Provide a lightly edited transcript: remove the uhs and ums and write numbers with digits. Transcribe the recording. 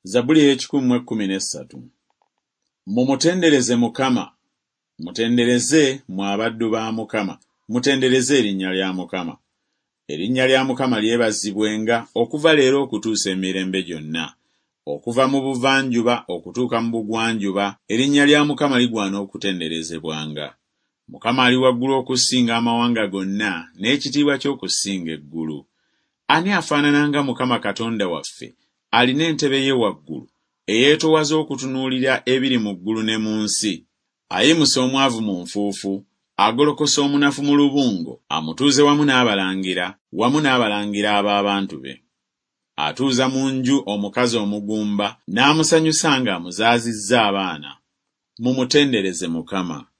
Zabbuli ey'ekikumi mu ekkumi n'essatu. Mumutendereze Mukama! Mutendereze, mmwe abaddu ba Mukama, mutendereze erinnya lya Mukama. Erinnya lya Mukama lyebazibwenga okuva leero okutuusa emirembe gyonna. Okuva mu buvanjuba okutuuka mu bugwanjuba erinnya lya Mukama ligwana okutenderezebwanga. Mukama ali waggulu okusinga amawanga gonna, n'ekitiibwa kye okusinga eggulu. Ani afaanana nga Mukama Katonda waffe, alina entebe ye waggulu, eyeetoowaza okutunuulira ebiri mu ggulu ne mu nsi? Ayimusa omwavu mu nfuufu, agolokosa omunafu mu lubungo, amutuuze wamu n'abalangira, wamu n'abalangira ab'abantu be. Atuuza mu nju omukazi omugumba, n'amusanyusa ng'amuzaazizza abaana. Mumutendereze Mukama.